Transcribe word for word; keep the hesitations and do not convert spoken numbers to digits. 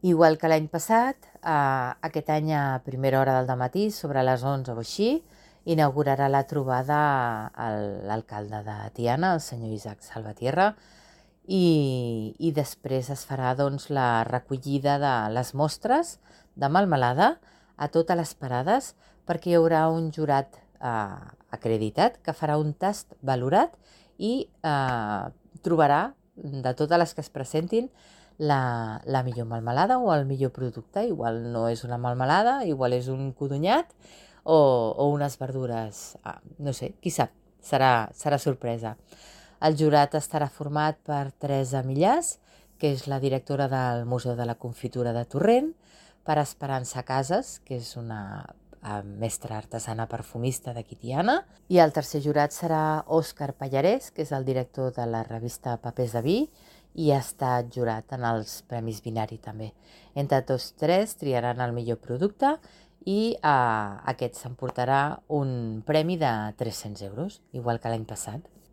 Igual que l'any passat, eh, aquest any a primera hora del dematí, sobre les onze o així, inaugurarà la trobada el- l'alcalde de Tiana, el senyor Isaac Salvatierra, i, i després es farà doncs, la recollida de les mostres de melmelada a totes les parades, perquè hi haurà un jurat eh, acreditat que farà un tast valorat i eh, trobarà de totes les que es presentin la, la millor melmelada o el millor producte. Igual no és una melmelada, igual és un codonyat o, o unes verdures, ah, no sé, qui sap, serà, serà sorpresa. El jurat estarà format per Teresa Millàs, que és la directora del Museu de la Confitura de Torrent, per Esperança Casas, que és una eh, mestra artesana perfumista de Tiana, i el tercer jurat serà Òscar Pallarès, que és el director de la revista Papers de Vi, i ha estat jurat en els Premis Binari també. Entre tots tres triaran el millor producte i eh, aquest s'emportarà un premi de tres-cents euros, igual que l'any passat.